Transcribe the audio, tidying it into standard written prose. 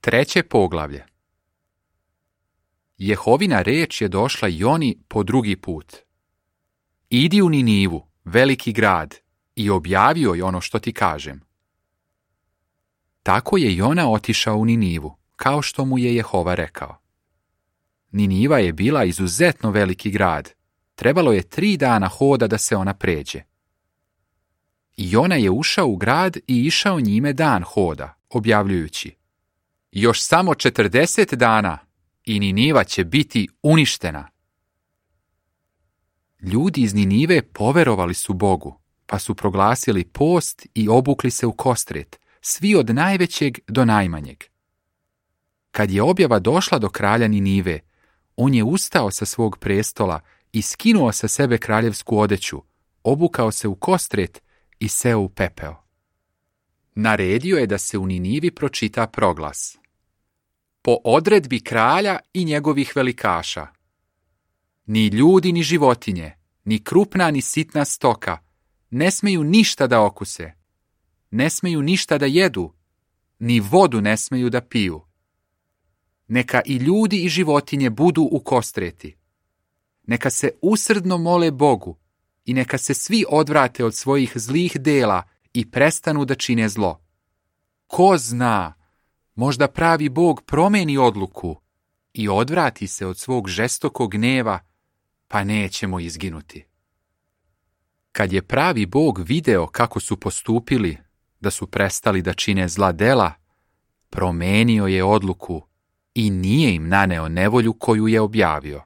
Treće poglavlje. Jehovina riječ je došla Joni po drugi put. Idi u Ninivu, veliki grad, i objavi joj ono što ti kažem. Tako je Jona otišao u Ninivu, kao što mu je Jehova rekao. Niniva je bila izuzetno veliki grad. Trebalo je 3 dana hoda da se ona pređe. Jona je ušao u grad i išao njime dan hoda, objavljujući: još samo 40 dana i Niniva će biti uništena. Ljudi iz Ninive poverovali su Bogu, pa su proglasili post i obukli se u kostret, svi od najvećeg do najmanjeg. Kad je objava došla do kralja Ninive, on je ustao sa svog prestola i skinuo sa sebe kraljevsku odeću, obukao se u kostret i seo u pepeo. Naredio je da se u Ninivi pročita proglas: po odredbi kralja i njegovih velikaša. Ni ljudi ni životinje, ni krupna ni sitna stoka ne smeju ništa da okuse, ne smeju ništa da jedu, ni vodu ne smeju da piju. Neka i ljudi i životinje budu u kostreti. Neka se usrdno mole Bogu i neka se svi odvrate od svojih zlih dela i prestanu da čine zlo. Ko zna, možda pravi Bog promeni odluku i odvrati se od svog žestokog gneva, pa nećemo izginuti. Kad je pravi Bog video kako su postupili, da su prestali da čine zla dela, promenio je odluku i nije im naneo nevolju koju je objavio.